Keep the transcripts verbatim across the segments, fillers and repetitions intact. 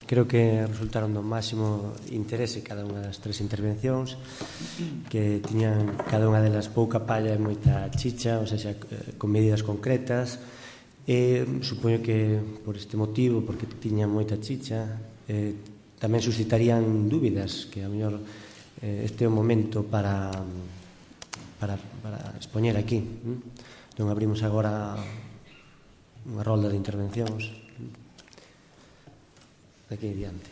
creo que resultaron do máximo interese cada unha das tres intervencións, que tiñan cada unha delas pouca palla e moita chicha, ou seja, con medidas concretas, e supoño que por este motivo, porque tiñan moita chicha, eh, tamén suscitarían dúbidas, que a mellor eh, este é o momento para, para, para expoñer aquí. Non abrimos agora unha rolda de intervencións. De aquí adiante.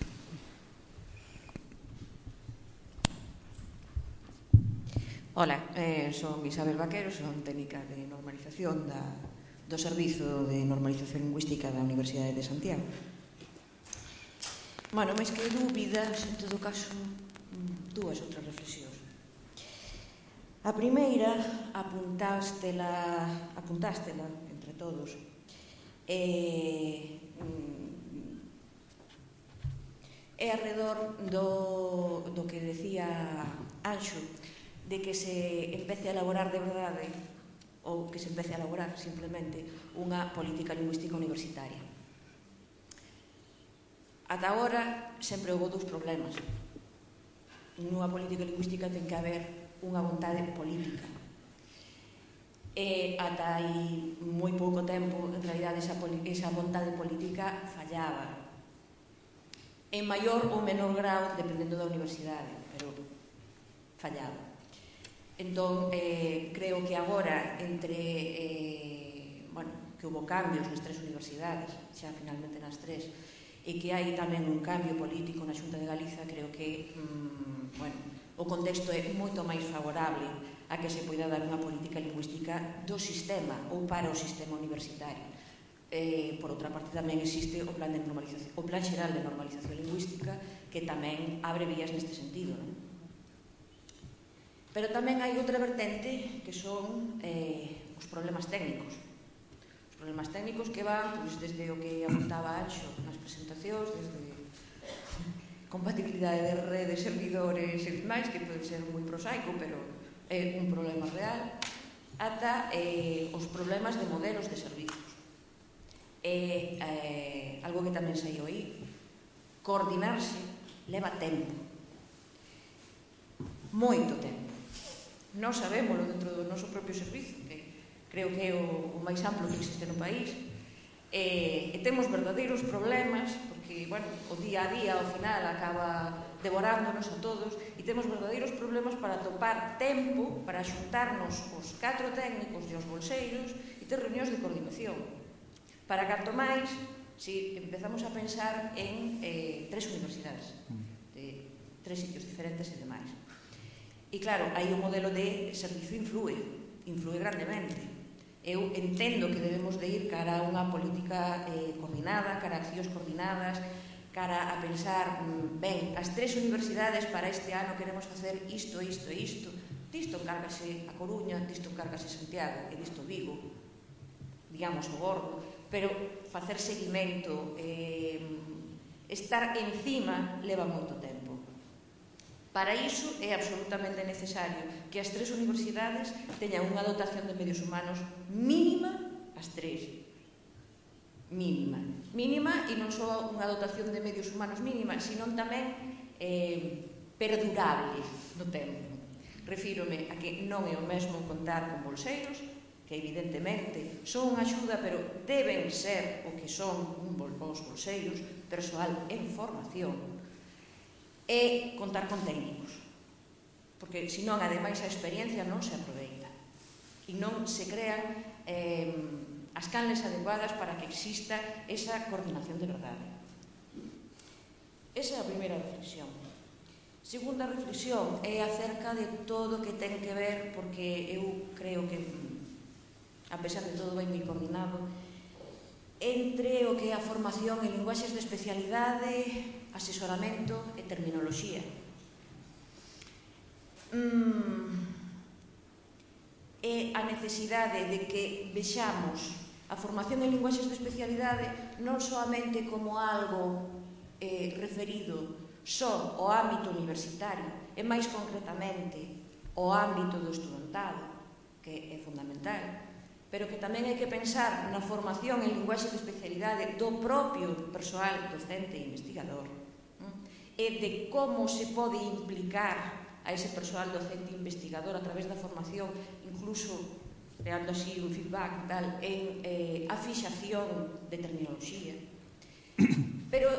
Ola, eh, son Isabel Vaquero, son técnica de normalización da, do Servizo de Normalización Lingüística da Universidade de Santiago. Bueno, máis que dúbidas, en todo caso, dúas outras reflexións. A primeira, apuntástela, apuntástela entre todos, e... é arredor do, do que decía Anxo, de que se empece a elaborar de verdade, ou que se empece a elaborar simplemente unha política lingüística universitaria. Ata agora sempre houve dous problemas. Nunha política lingüística ten que haber unha vontade política. E ata aí moi pouco tempo, en realidad, esa, esa vontade política fallaba. En maior ou menor grau, dependendo da universidade, pero fallaba. Entón, eh, creo que agora, entre, eh, bueno, que houve cambios nas tres universidades, xa finalmente nas tres, e que hai tamén un cambio político na Xunta de Galiza, creo que, mm, bueno, o contexto é moito máis favorable a que se poida dar unha política lingüística do sistema ou para o sistema universitario. Eh, por outra parte, tamén existe o plan, de normalización, o plan xeral de normalización lingüística, que tamén abre vías neste sentido, non? Pero tamén hai outra vertente, que son eh, os problemas técnicos. Os problemas técnicos que van, pois, desde o que apuntaba Anxo nas presentacións, desde compatibilidade de redes, servidores e demais, que pode ser moi prosaico, pero é un problema real, ata eh, os problemas de modelos de servizos. É eh, algo que tamén saiu aí. Coordinarse leva tempo. Moito tempo. Non sabémoslo dentro do noso propio servizo, que creo que é o, o máis amplo que existe no país. E, e temos verdadeiros problemas, porque, bueno, o día a día, ao final, acaba devorándonos a todos, e temos verdadeiros problemas para topar tempo, para xuntarnos os catro técnicos e os bolseiros e ter reunións de coordinación. Para canto máis, si empezamos a pensar en eh, tres universidades, de tres sitios diferentes e demais. E claro, aí o modelo de servizo influe, influe grandemente. Eu entendo que debemos de ir cara a unha política eh, coordinada, cara a accións coordinadas, cara a pensar, ben, as tres universidades para este ano queremos facer isto, isto e isto. Disto encárgase a Coruña, disto encárgase Santiago e disto Vigo, digamos o gordo, pero facer seguimento, eh, estar encima, leva moito tempo. Para iso é absolutamente necesario que as tres universidades teñan unha dotación de medios humanos mínima, as tres. Mínima. Mínima, e non só unha dotación de medios humanos mínima, sino tamén eh, perdurable no tempo. Refírome a que non é o mesmo contar con bolseiros, que evidentemente son unha axuda, pero deben ser o que son os bolseiros, persoal en formación, e contar con técnicos, porque senón, ademais, a experiencia non se aproveita e non se crean eh, as canles adecuadas para que exista esa coordinación de verdade. Esa é a primeira reflexión. Segunda reflexión é acerca de todo o que ten que ver, porque eu creo que, a pesar de todo, vai moi coordinado, entre o que é a formación en linguaxes de especialidade, asesoramento e terminoloxía. Mm, é a necesidade de que vexamos a formación en linguaxes de especialidade non soamente como algo eh, referido só ao ámbito universitario, e máis concretamente ao ámbito do estudantado, que é fundamental, pero que tamén hai que pensar na formación en linguaxe de especialidade do propio persoal docente e investigador, e de como se pode implicar a ese persoal docente e investigador a través da formación, incluso creando así un feedback tal, en eh, a fixación de terminoloxía. Pero,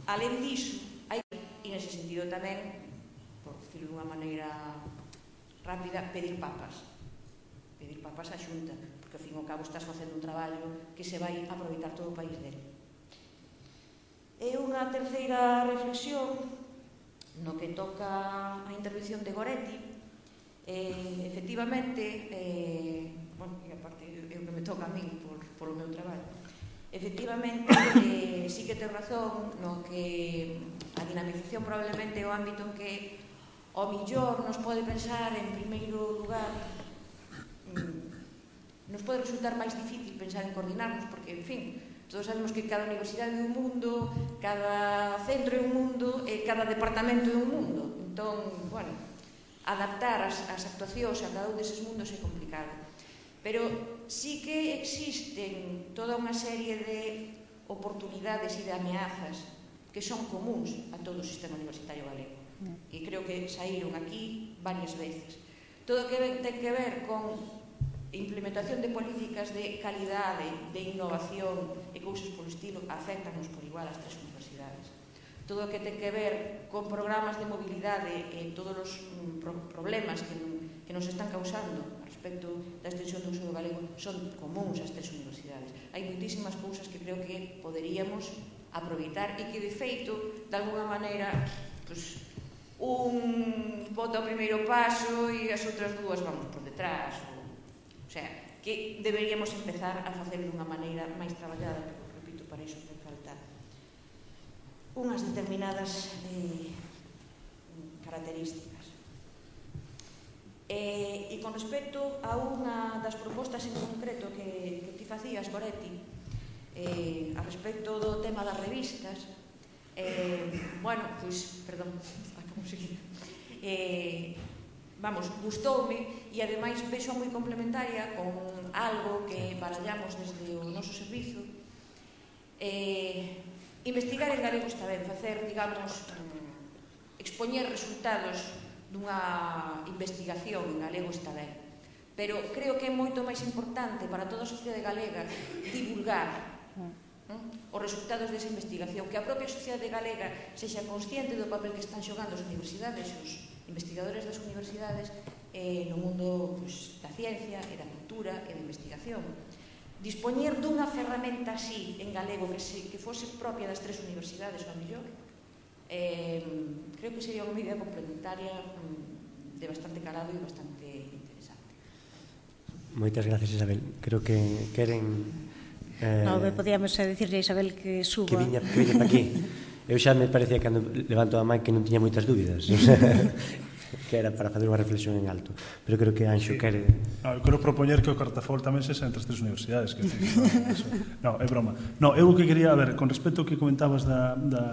alén diso, hai, e nese sentido tamén, por decirlo de unha maneira rápida, pedir papas. Pedir papas á Xunta, porque ao fin e ao cabo estás facendo un traballo que se vai aproveitar todo o país dele. E unha terceira reflexión no que toca a intervención de Goretti, eh, efectivamente, eh, bueno, e aparte é o que me toca a min por, por o meu traballo, efectivamente, eh, sí que ten razón no que a dinamización probablemente é o ámbito en que ao millor nos pode pensar en primeiro lugar, nos pode resultar máis difícil pensar en coordinarnos, porque, en fin, todos sabemos que cada universidade é un mundo, cada centro é un mundo e cada departamento é un mundo. Entón, bueno, adaptar as, as actuacións a cada un deses mundos é complicado. Pero sí que existen toda unha serie de oportunidades e de ameazas que son comuns a todo o sistema universitario galego. E creo que saíron aquí varias veces. Todo o que ten que ver con implementación de políticas de calidade, de innovación e cousas polo estilo afectanos por igual as tres universidades. Todo o que ten que ver con programas de mobilidade e todos os mm, pro problemas que, que nos están causando a respecto da extensión do uso do galego son comuns ás tres universidades. Hai moitísimas cousas que creo que poderíamos aproveitar e que, de feito, de alguna maneira, pues, un bota o primeiro paso e as outras dúas vamos por detrás. O sea, que deberíamos empezar a facer dunha maneira máis traballada, pero, repito, para iso ten falta unhas determinadas eh, características. E, e con respecto a unha das propostas en concreto que, que ti facías, Goretti, eh, a respecto do tema das revistas, eh, bueno, pois, perdón, como seguir, eh, vamos, gustoume e ademais vexo moi complementaria con algo que barallamos desde o noso servizo. Eh, investigar en galego está ben, facer, digamos, expoñer resultados dunha investigación en galego está ben, pero creo que é moito máis importante para toda a sociedade galega divulgar os resultados desa investigación, que a propia sociedade galega sexa consciente do papel que están xogando as universidades e os investigadores das universidades eh, no mundo pues, da ciencia e da cultura e da investigación. Dispoñer dunha ferramenta así en galego que, se, que fose propia das tres universidades, ao mellor, eh, creo que sería unha medida complementaria mm, de bastante calado e bastante interesante. Moitas gracias, Isabel. Creo que queren... Eh, no, podíamos dicirle a Isabel que suba. Que viña, que viña para aquí. Eu xa me parecía cando levanto a man que non tiña moitas dúbidas. Que era para fazer unha reflexión en alto. Pero creo que Anxo quere... No, eu quero propoñer que o Cartafol tamén se entre as tres universidades. Que, no, eso, no, é broma. No, eu o que quería, a ver, con respecto ao que comentabas da... da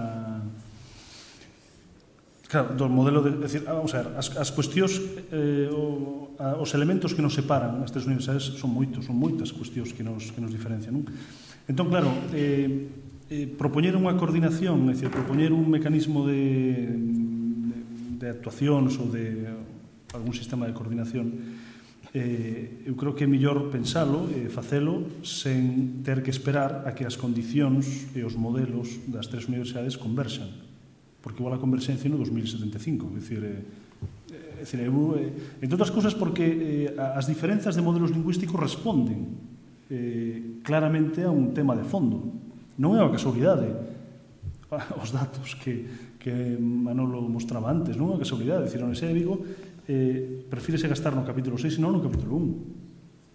claro, do modelo de... Decir, vamos a ver, as, as cuestións, eh, o, a, os elementos que nos separan as tres universidades son moitos, son moitas cuestións que nos, que nos diferencian, non? Entón, claro, eh, eh, propoñer unha coordinación, é dicir, propoñer un mecanismo de, de, de actuacións ou de algún sistema de coordinación, eh, eu creo que é mellor pensalo e facelo sen ter que esperar a que as condicións e os modelos das tres universidades converxan, porque igual a converxencia no dos mil setenta e cinco, é dicir, eh, é dicir eu, eh, entre outras cousas porque eh, as diferenzas de modelos lingüísticos responden eh, claramente a un tema de fondo. Non é unha casualidade os datos que, que Manolo mostraba antes, non é unha casualidade, é dicir, a Universidade de Vigo eh, prefírese gastar no capítulo seis e non no capítulo un.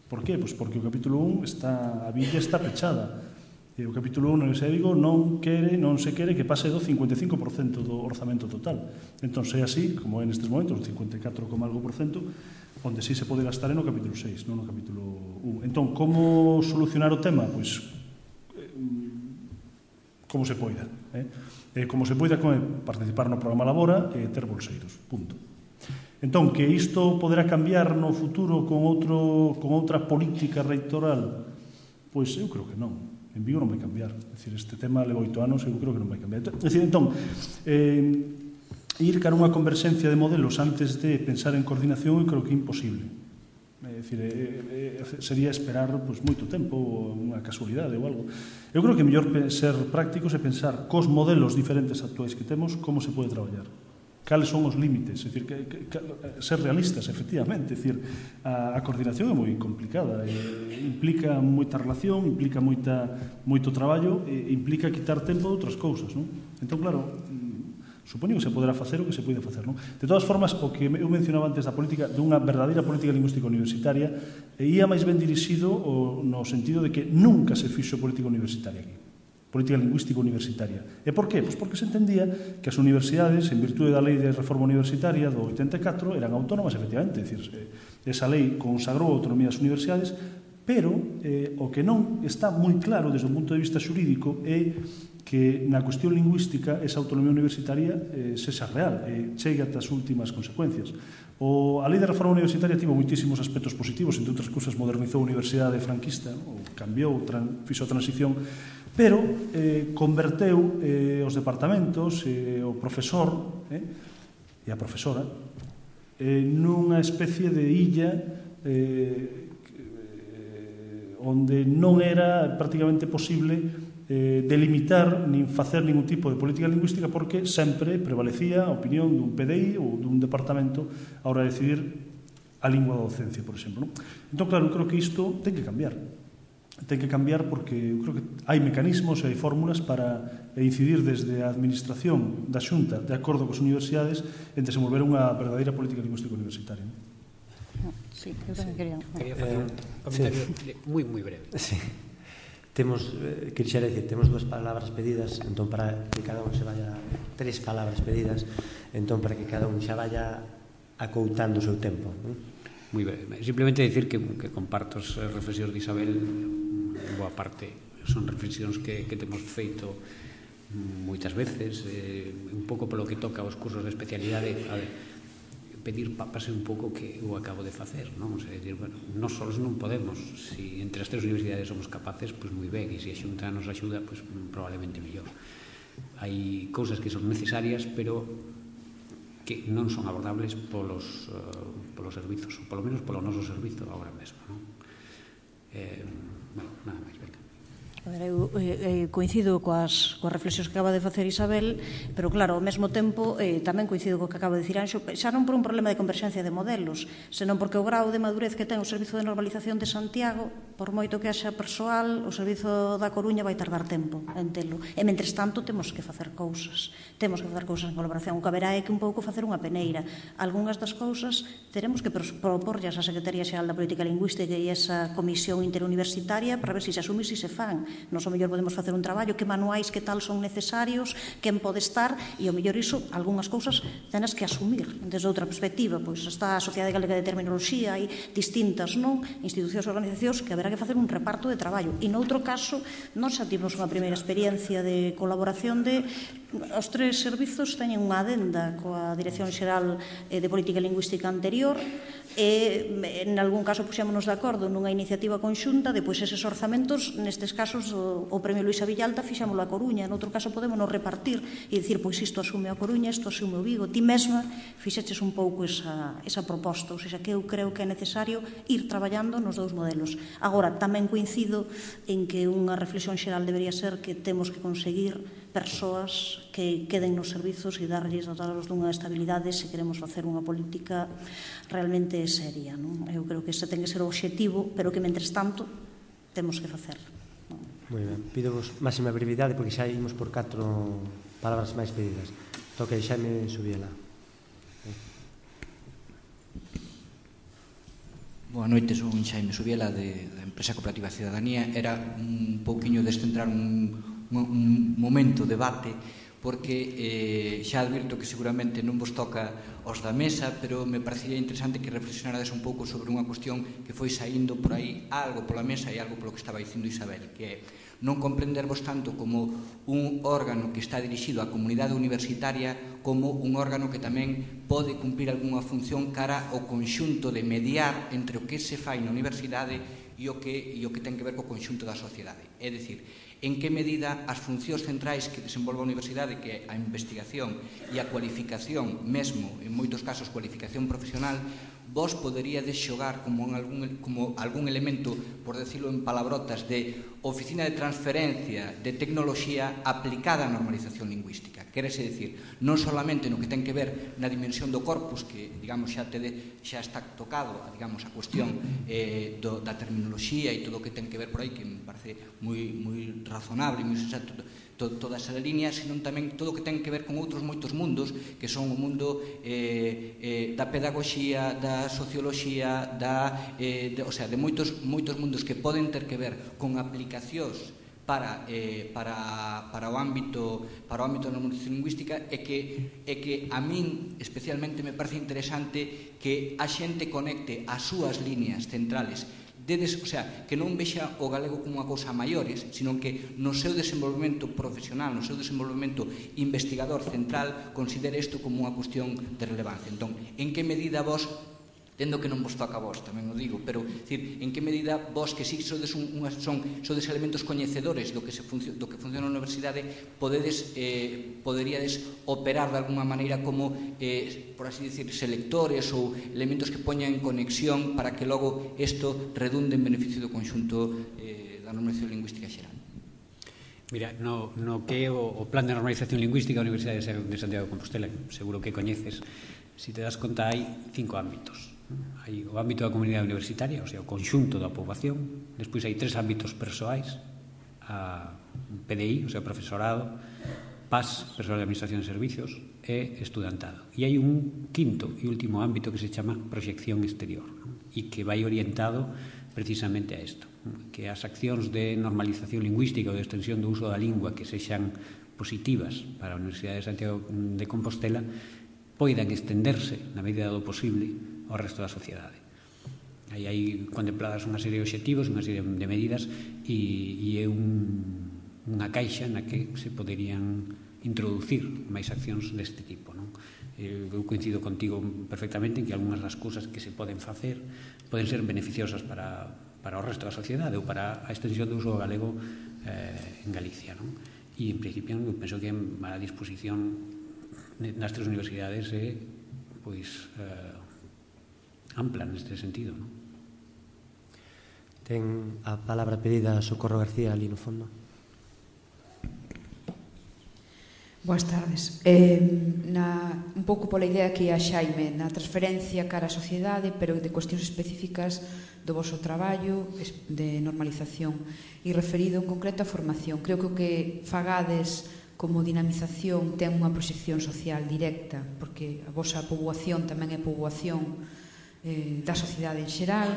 Por qué? Pois porque o capítulo un está, a villa está pechada. E o capítulo un na Universidade de Vigo non quere, non se quere que pase do cincuenta e cinco por cento do orzamento total. Entón, é así, como é nestes momentos, o cincuenta e catro, algo por cento, onde sí se pode gastar é no capítulo seis, non no capítulo un. Entón, como solucionar o tema? Pois, como se poida. Eh? Eh, como se poida con participar no programa Labora e ter bolseiros. Punto. Entón, que isto poderá cambiar no futuro con outro con outra política reitoral, pois eu creo que non. En Vigo non vai cambiar. É dicir, este tema leva oito anos e eu creo que non vai cambiar. É dicir, entón, eh, ir cara unha converxencia de modelos antes de pensar en coordinación eu creo que é imposible. É dicir, eh, eh, sería esperar pues, moito tempo ou unha casualidade ou algo. Eu creo que é mellor ser prácticos e pensar cos modelos diferentes actuais que temos como se pode traballar. Cales son os límites, é dicir, que, que, que, ser realistas, efectivamente, é dicir, a, a coordinación é moi complicada, e, implica moita relación, implica moita, moito traballo, e implica quitar tempo de outras cousas, non? Entón, claro, supoño que se poderá facer o que se pode facer, non? De todas formas, o que eu mencionaba antes da política, dunha verdadeira política lingüística universitaria, ia máis ben dirixido o, no sentido de que nunca se fixo política universitaria aquí. Política lingüística universitaria. E por qué? Pois porque se entendía que as universidades, en virtude da lei de reforma universitaria do oitenta e catro, eran autónomas, efectivamente, é dicir, esa lei consagrou a autonomía das universidades, pero eh, o que non está moi claro desde o punto de vista xurídico é que na cuestión lingüística esa autonomía universitaria eh, sexa real, e chegue ata as últimas consecuencias. O, a lei de reforma universitaria tivo moitísimos aspectos positivos, entre outras cousas modernizou a universidade franquista, ou cambiou, tran, fixo a transición, pero eh, converteu eh, os departamentos, eh, o profesor eh, e a profesora eh, nunha especie de illa eh, eh, onde non era prácticamente posible eh, delimitar nin facer ningún tipo de política lingüística porque sempre prevalecía a opinión dun P D I ou dun departamento a hora de decidir a lingua da docencia, por exemplo. Non? Entón, claro, eu creo que isto ten que cambiar. Ten que cambiar porque eu creo que hai mecanismos e hai fórmulas para incidir desde a administración da Xunta de acordo cos universidades en desenvolver unha verdadeira política lingüística universitaria. Sí, eu tamén quería... Quería facer un comentario moi, moi breve. Sí. Temos, eh, quixera dicir, temos dúas palabras pedidas, entón para que cada un se vaya, tres palabras pedidas, entón para que cada un xa vaya acoutando o seu tempo, non? Moi breve. Simplemente dicir que, que comparto as reflexións de Isabel, boa parte son reflexións que, que temos feito moitas veces, eh, un pouco polo que toca os cursos de especialidade, a ver, pedir papas un pouco que eu acabo de facer, non? O sea, decir, bueno, non solos non podemos, si entre as tres universidades somos capaces, pois moi ben, e se a Xunta nos axuda, pois probablemente mellor. Hai cousas que son necesarias, pero que non son abordables polos, uh, polos servizos, ou polo menos polo noso servizo agora mesmo, non? Eh, bueno, nada máis, venga. A ver, eu eh, coincido coas, coas reflexións que acaba de facer Isabel, pero claro, ao mesmo tempo eh, tamén coincido co que acaba de dicir Anxo, xa non por un problema de converxencia de modelos, senón porque o grau de madurez que ten o Servizo de Normalización de Santiago, por moito que haxa persoal, o Servizo da Coruña vai tardar tempo en telo. E, mentres tanto, temos que facer cousas. Temos que facer cousas en colaboración. O que haberá é que un pouco facer unha peneira. Algúnas das cousas teremos que proporllas á Secretaría Xeral da Política Lingüística e esa comisión interuniversitaria para ver se se asume e se se fan. Nos, ao mellor, podemos facer un traballo, que manuais, que tal son necesarios, quen pode estar, e, ao mellor, iso, algunhas cousas tenes que asumir desde outra perspectiva. Pois está a Sociedade Galega de Terminoloxía, hai distintas, non, institucións e organizacións que haberá que facer un reparto de traballo. E, noutro caso, nós xa tivemos unha primeira experiencia de colaboración de os tres servizos teñen unha adenda coa Dirección Xeral de Política Lingüística anterior e, en algún caso, puxémonos de acordo nunha iniciativa conxunta, depois eses orzamentos, nestes casos, o, o Premio Luisa Villalta fixámoslo a Coruña, noutro caso podemos nos repartir e dicir, pois isto asume a Coruña, isto asume o Vigo. Ti mesma fixeches un pouco esa, esa proposta, ou seja, que eu creo que é necesario ir traballando nos dous modelos. Agora, tamén coincido en que unha reflexión xeral debería ser que temos que conseguir persoas que queden nos servizos e darlles dotados dunha estabilidade se queremos facer unha política realmente seria, non? Eu creo que ese ten que ser o obxectivo, pero que, mentres tanto, temos que facer. Moi ben, pido-vos máxima brevidade porque xa imos por catro palabras máis pedidas. Toque Xaime Subiela. Boa noite, son Xaime Subiela de, da empresa Cooperativa Cidadanía. Era un pouquiño descentrar un, un momento, debate, porque eh, xa advirto que seguramente non vos toca os da mesa, pero me parecía interesante que reflexionarades un pouco sobre unha cuestión que foi saindo por aí algo pola mesa e algo polo que estaba dicindo Isabel, que é non comprendervos tanto como un órgano que está dirixido á comunidade universitaria como un órgano que tamén pode cumprir algunha función cara ao conxunto de mediar entre o que se fai na universidade e o que, e o que ten que ver co conxunto da sociedade. É dicir, en que medida as funcións centrais que desenvolve a universidade, que é a investigación e a cualificación, mesmo, en moitos casos, cualificación profesional, vos poderíades xogar como, en algún, como algún elemento, por decirlo en palabrotas, de oficina de transferencia de tecnoloxía aplicada á normalización lingüística. Quérese dicir, non solamente no que ten que ver na dimensión do corpus, que, digamos, xa, te de, xa está tocado, digamos, a cuestión eh, do, da terminoloxía e todo o que ten que ver por aí, que me parece moi, moi razonable, moi sensato, to, toda esa línea, senón tamén todo o que ten que ver con outros moitos mundos, que son o mundo eh, eh, da pedagogía, da socioloxía, da, eh, de, o sea, de moitos, moitos mundos que poden ter que ver con aplicacións para, eh, para, para o ámbito para o ámbito da normalización lingüística e que, e que a min especialmente me parece interesante que a xente conecte as súas líneas centrales Dedes, o sea, que non vexa o galego como unha cousa a maiores, sino que no seu desenvolvemento profesional, no seu desenvolvemento investigador central, considere isto como unha cuestión de relevancia. Entón, en que medida vos, tendo que non vos toca a vos, tamén o digo, pero, decir, en que medida vos que si sodes, un, un, son, sodes elementos coñecedores do que, se funcio, do que funciona na universidade, podedes, eh, poderíades operar de alguma maneira como, eh, por así decir, selectores ou elementos que poñan en conexión para que logo isto redunde en beneficio do conxunto eh, da normalización lingüística xeral. Mira, no, no que o, o plan de normalización lingüística da Universidade de Santiago de Compostela, seguro que coñeces, si te das conta, hai cinco ámbitos. Hai o ámbito da comunidade universitaria, o sea, o conxunto da poboación. Despois hai tres ámbitos persoais, a P D I, o sea, profesorado, P A S, persoal de administración de servicios, e estudantado. E hai un quinto e último ámbito que se chama proxección exterior, e que vai orientado precisamente a isto, que as accións de normalización lingüística ou de extensión do uso da lingua que sexan positivas para a Universidade de Santiago de Compostela poidan estenderse, na medida do posible, ao resto da sociedade. Aí hai contempladas unha serie de obxectivos, unha serie de medidas e, e é un, unha caixa na que se poderían introducir máis accións deste tipo, non? Eu coincido contigo perfectamente en que algunhas das cousas que se poden facer poden ser beneficiosas para, para o resto da sociedade ou para a extensión do uso do galego eh, en Galicia, non? E en principio eu penso que a disposición nas tres universidades é pois eh, ampla neste sentido, non? Ten a palabra pedida Socorro García ali no fondo. Boas tardes. Eh, na, un pouco pola idea que a Xaime na transferencia cara á sociedade, pero de cuestións específicas do voso traballo de normalización e referido en concreto a formación. Creo que o que fagades como dinamización ten unha proxección social directa, porque a vosa poboación tamén é poboación da sociedade en xeral,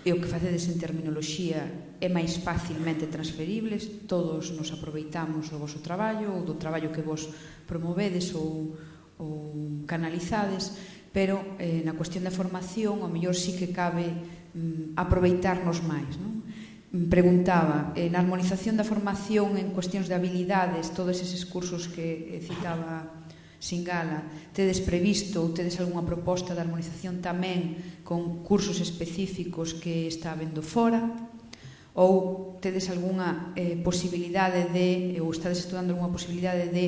e o que facedes en terminoloxía é máis facilmente transferibles, todos nos aproveitamos do voso traballo ou do traballo que vos promovedes ou, ou canalizades, pero eh, na cuestión da formación ao mellor sí que cabe mm, aproveitarnos máis, non? Preguntaba, eh, na armonización da formación en cuestións de habilidades, todos eses cursos que citaba Singala, tedes previsto ou tedes algunha proposta de armonización tamén con cursos específicos que está habendo fora, ou tedes algunha eh, posibilidade de, ou estades estudando algunha posibilidade de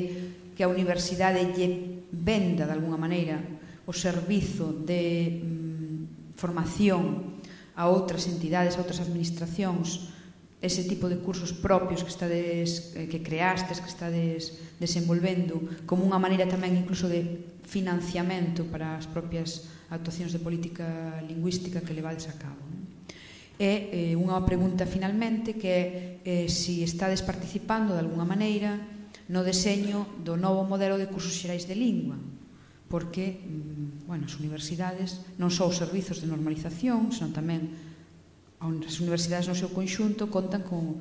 que a universidade lle venda de algunha maneira o servizo de mm, formación a outras entidades, a outras administracións, ese tipo de cursos propios que estades, que creastes, que estades desenvolvendo, como unha maneira tamén incluso de financiamento para as propias actuacións de política lingüística que levades a cabo. E eh, unha pregunta finalmente que é eh, si estades participando de algunha maneira no deseño do novo modelo de cursos xerais de lingua, porque, bueno, as universidades non só os servizos de normalización, senón tamén as universidades no seu conxunto contan con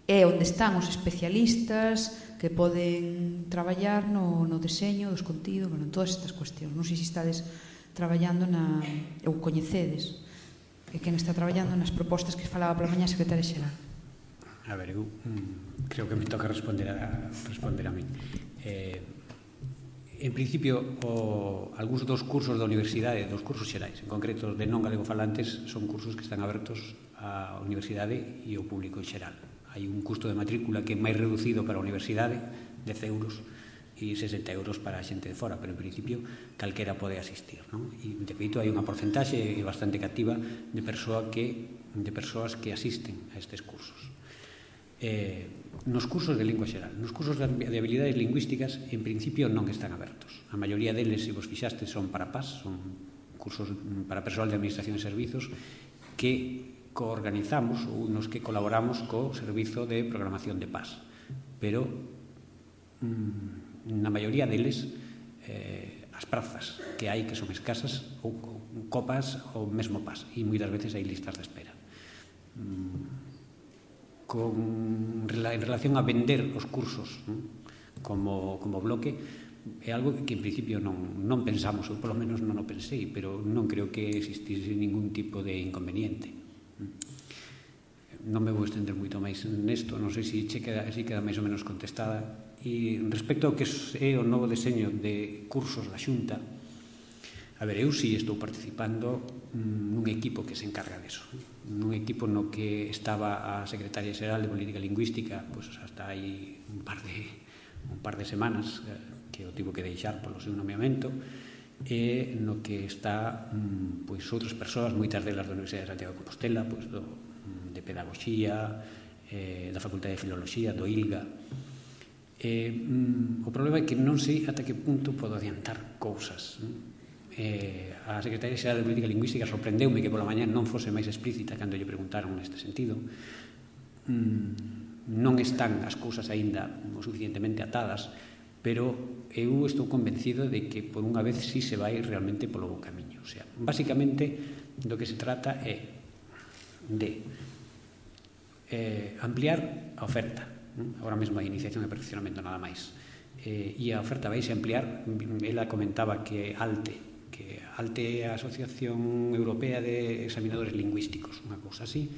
é onde están os especialistas que poden traballar no, no deseño dos contidos, bueno, en todas estas cuestións. Non sei se estades traballando na, ou coñecedes, e quen está traballando nas propostas que falaba pola mañá a secretaria xeral. A ver, eu mm, creo que me toca responder a, responder a mí. Eh, en principio, o, algúns dos cursos da universidade, dos cursos xerais, en concreto de non galegofalantes, son cursos que están abertos á universidade e ao público en xeral. Hai un custo de matrícula que é máis reducido para a universidade, dez euros, e sesenta euros para a xente de fora, pero en principio calquera pode asistir, non? E de feito hai unha porcentaxe bastante cativa de persoa que de persoas que asisten a estes cursos. Eh, nos cursos de lingua xeral, nos cursos de habilidades lingüísticas en principio non están abertos. A maioría deles, se vos fixastes, son para P A S, son cursos para persoal de administración e servizos que coorganizamos ou nos que colaboramos co servizo de programación de P A S, pero mmm, na maioría deles eh, as prazas que hai que son escasas ou, ou copas ou mesmo P A S, e moitas veces hai listas de espera. mm, con, en relación a vender os cursos, ¿no? como, como bloque, é algo que en principio non, non pensamos, ou polo menos non o pensei, pero non creo que existise ningún tipo de inconveniente. Non me vou estender moito máis nesto, non sei se che queda, se queda máis ou menos contestada. E respecto ao que é o novo deseño de cursos da Xunta, a ver, eu si estou participando nun equipo que se encarga deso, nun equipo no que estaba a Secretaria Xeral de Política Lingüística pois hasta hai un par de un par de semanas que o tivo que deixar polo seu nomeamento, e no que está pois outras persoas, moitas delas da Universidade de Santiago de Compostela, pois do, de Pedagogía, eh, da Facultade de Filoloxía, do I L G A. Eh, mm, o problema é que non sei ata que punto podo adiantar cousas. Eh, a Secretaria Xeral de Política Lingüística sorprendeume que pola mañá non fose máis explícita cando lle preguntaron neste sentido. Mm, non están as cousas aínda o suficientemente atadas, pero eu estou convencido de que por unha vez sí se vai realmente polo bo camiño. O sea, basicamente do que se trata é de eh, ampliar a oferta. Agora mesmo a iniciación e perfeccionamento nada máis, eh, e a oferta vais a ampliar. Ela comentaba que ALTE que ALTE é a Asociación Europea de Examinadores Lingüísticos, unha cousa así,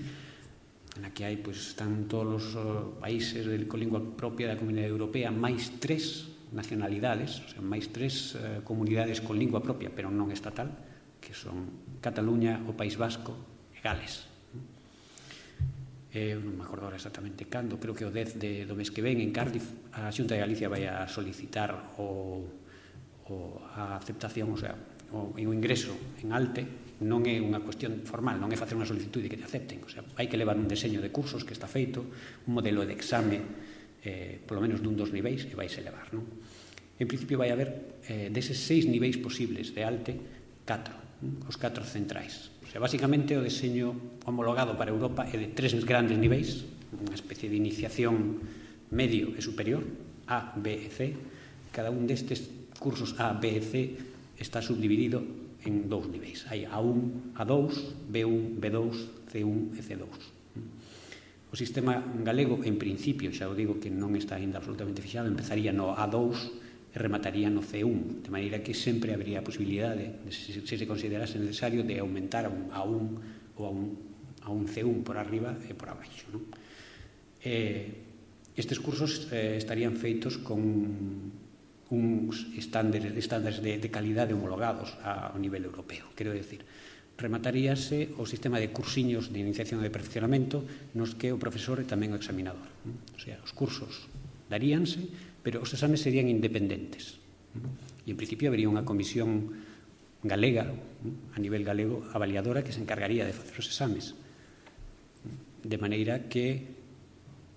na que hai, pois, están todos os uh, países de, con lingua propia da Comunidade Europea, máis tres nacionalidades, o sea, máis tres uh, comunidades con lingua propia, pero non estatal, que son Cataluña, o País Vasco e Gales. Eh, non me acordo exactamente cando, creo que o dez de, do mes que ven en Cardiff a Xunta de Galicia vai a solicitar o, o, a aceptación, o sea, o, o ingreso en ALTE. Non é unha cuestión formal, non é facer unha solicitude que te acepten, o sea, hai que levar un deseño de cursos que está feito, un modelo de exame, eh, polo menos dun dos niveis, e vais a levar, non? En principio vai haber eh, deses seis niveis posibles de ALTE, catro, non? Os catro centrais. O sea, basicamente o deseño homologado para Europa é de tres grandes niveis, unha especie de iniciación medio e superior, A, B e C. Cada un destes cursos A, B e C está subdividido en dous niveis. Hai A un, A dous, B un, B dous, C un e C dous. O sistema galego, en principio, xa o digo que non está ainda absolutamente fixado, empezaría no A dous e remataría no C un, de maneira que sempre habría a posibilidade, se se considerase necesario, de aumentar a un A un ou a un, a un C un por arriba e por abaixo, non? Eh, estes cursos eh, estarían feitos con uns estándares, estándares de, de calidade homologados ao nivel europeo. Quero decir, remataríase o sistema de cursiños de iniciación e de perfeccionamento nos que o profesor é tamén o examinador. O sea, os cursos daríanse, pero os exames serían independentes. E, en principio, habería unha comisión galega, a nivel galego, avaliadora, que se encargaría de facer os exames. De maneira que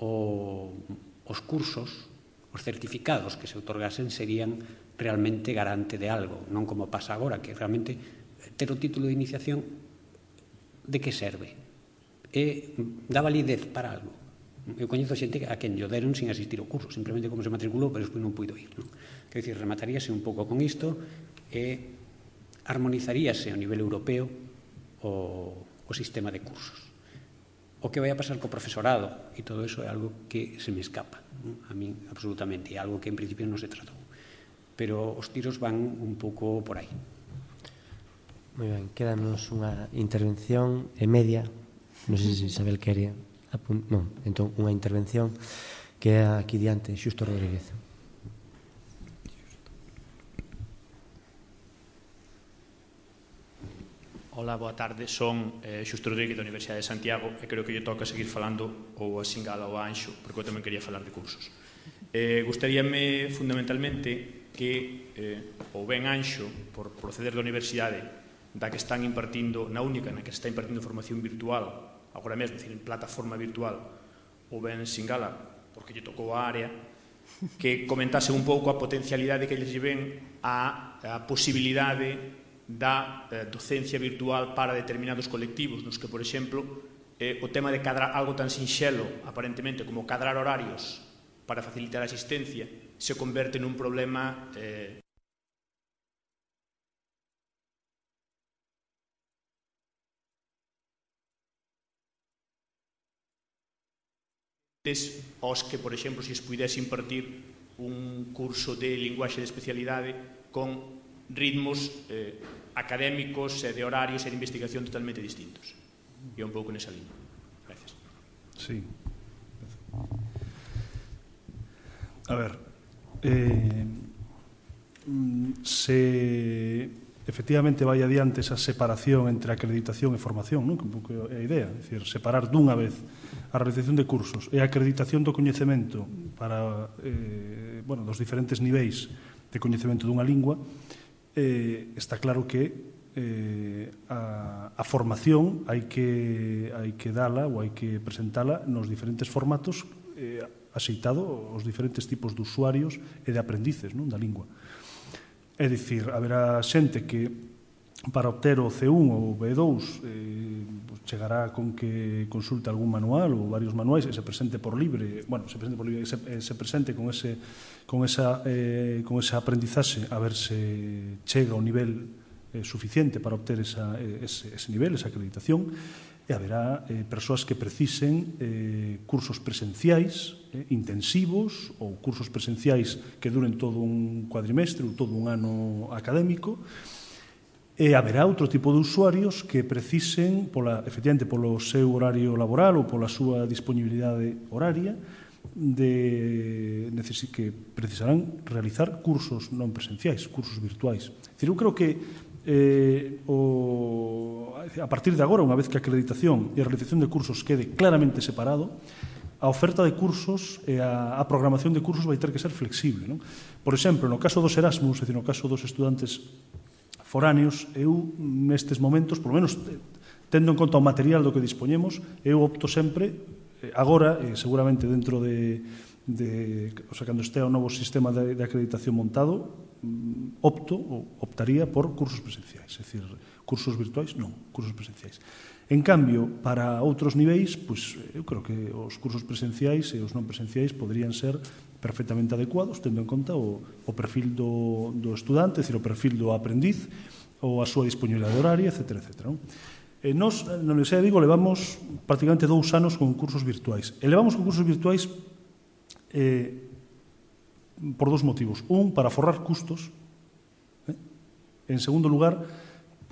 o, os cursos, os certificados que se outorgasen serían realmente garante de algo, non como pasa agora, que realmente ter o título de iniciación de que serve? E dá validez para algo? Eu coñezo xente a quen lle deron sin asistir ao curso, simplemente como se matriculou, pero despois non puido ir, non? Quero dicir, remataríase un pouco con isto e armonizaríase a nivel europeo o, o sistema de cursos. o que vai a pasar co profesorado, e todo eso é algo que se me escapa, a mí absolutamente, é algo que en principio non se tratou. Pero os tiros van un pouco por aí. Moi ben, quédanos unha intervención e media, non sei se Isabel quere apuntar, non, entón unha intervención que é aquí diante Xusto Rodríguez. Hola, boa tarde, son eh, Xusto Rodríguez da Universidade de Santiago e creo que lle toca seguir falando ou a Singala ou a Anxo, porque eu tamén quería falar de cursos. Eh, gustaríame fundamentalmente que eh, ou ben Anxo, por proceder da universidade da que están impartindo, na única na que se está impartindo formación virtual, agora mesmo, decir, en plataforma virtual, ou ben Singala, porque lle tocou a área, que comentase un pouco a potencialidade que lles ven a, a posibilidade da eh, docencia virtual para determinados colectivos, nos que, por exemplo, eh, o tema de cadrar algo tan sinxelo, aparentemente, como cadrar horarios para facilitar a asistencia, se converte nun problema eh, aos que, por exemplo, se es pudese impartir un curso de linguaxe de especialidade con ritmos eh, académicos e de horarios e de investigación totalmente distintos. E un pouco nesa línea. Gracias. Sí. A ver, eh, se efectivamente vai adiante esa separación entre acreditación e formación, non? Que un pouco é a idea, é dicir, separar dunha vez a realización de cursos e a acreditación do coñecemento para, eh, bueno, dos diferentes niveis de coñecemento dunha lingua. Eh, está claro que eh, a, a formación hai que, hai que dala ou hai que presentala nos diferentes formatos eh, axeitado aos diferentes tipos de usuarios e de aprendices, non, da lingua. É dicir, haberá xente que para obter o C un ou o B dous eh, pues chegará con que consulte algún manual ou varios manuais e se presente por libre, bueno, se presente por libre, se, eh, se presente con ese con esa eh, con esa aprendizaxe a ver se chega ao nivel eh, suficiente para obter esa, ese, ese nivel, esa acreditación, e haberá eh, persoas que precisen eh, cursos presenciais eh, intensivos ou cursos presenciais que duren todo un cuadrimestre ou todo un ano académico. E haberá outro tipo de usuarios que precisen, pola, efectivamente, polo seu horario laboral ou pola súa disponibilidade horaria, de, que precisarán realizar cursos non presenciais, cursos virtuais. É dicir, eu creo que eh, o, a partir de agora, unha vez que a acreditación e a realización de cursos quede claramente separado, a oferta de cursos e a, a programación de cursos vai ter que ser flexible, non? Por exemplo, no caso dos Erasmus, é dicir, no caso dos estudantes foráneos, eu nestes momentos, por lo menos tendo en conta o material do que dispoñemos, eu opto sempre, agora, eh, seguramente dentro de, de o sea, cando estea o novo sistema de, de acreditación montado, opto ou optaría por cursos presenciais, é dicir, cursos virtuais, non, cursos presenciais. En cambio, para outros niveis, pois, eu creo que os cursos presenciais e os non presenciais poderían ser perfectamente adecuados, tendo en conta o, o perfil do, do estudante, é dicir, o perfil do aprendiz, ou a súa disponibilidade horaria, etcétera, etcétera. Non? E nos, na Universidade de Vigo, levamos prácticamente dous anos con cursos virtuais. E levamos con cursos virtuais eh, por dous motivos. Un, para forrar custos. Eh? En segundo lugar,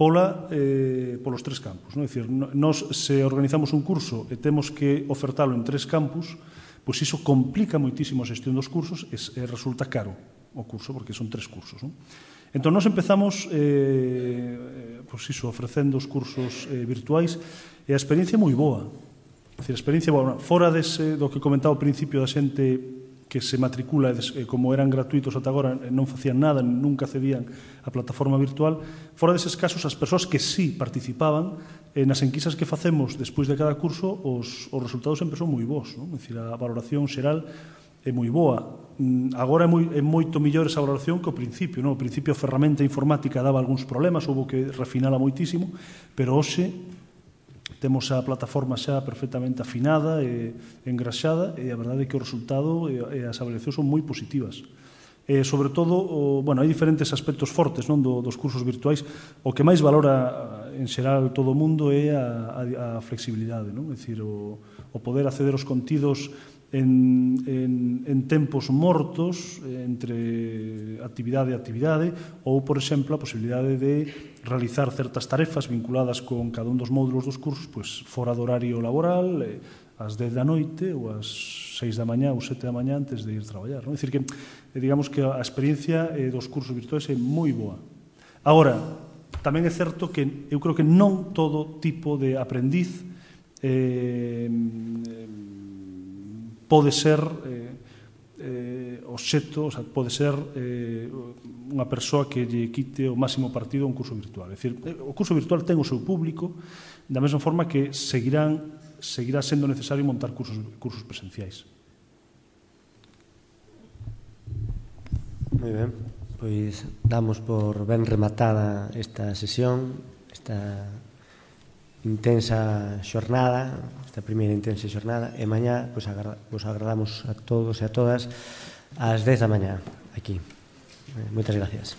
pola, eh, polos tres campus. Non? É dicir, nos, se organizamos un curso e temos que ofertalo en tres campus, pois iso complica moitísimo a xestión dos cursos e, e resulta caro o curso, porque son tres cursos. Non? Entón, nos empezamos eh, pois iso, ofrecendo os cursos eh, virtuais e a experiencia é moi boa. É dicir, a experiencia boa. Fora dese, do que comentaba ao principio da xente que se matricula, e como eran gratuitos ata agora, non facían nada, nunca cedían a plataforma virtual, fora deses casos, as persoas que sí participaban, eh, nas enquisas que facemos despois de cada curso, os, os resultados sempre son moi bons. Non? É dicir, a valoración xeral é moi boa. Agora é, moi, é moito millor esa valoración que ao principio. Non? Ao principio a ferramenta informática daba algúns problemas, houve que refinala moitísimo, pero hoxe temos a plataforma xa perfectamente afinada e engraxada, e a verdade é que o resultado e as avaliacións son moi positivas. E, sobre todo, o, bueno, hai diferentes aspectos fortes, non, do, dos cursos virtuais. O que máis valora en xeral todo o mundo é a, a, a flexibilidade, non? É dicir, o, o poder acceder aos contidos en, en, en tempos mortos entre actividade e actividade, ou, por exemplo, a posibilidade de realizar certas tarefas vinculadas con cada un dos módulos dos cursos pois, fora do horario laboral, ás dez da noite ou ás seis da mañá ou sete da mañá antes de ir traballar, non? É dicir, que digamos que a experiencia dos cursos virtuais é moi boa. Agora, tamén é certo que eu creo que non todo tipo de aprendiz eh, pode ser eh, eh, obxecto, o sea, pode ser eh, unha persoa que lle quite o máximo partido a un curso virtual. É dicir, o curso virtual ten o seu público, da mesma forma que seguirán, seguirá sendo necesario montar cursos, cursos presenciais. Moi ben, pois damos por ben rematada esta sesión, esta intensa xornada, esta primeira intensa xornada, e mañá pois, vos agradamos a todos e a todas ás dez da mañá aquí. Moitas gracias.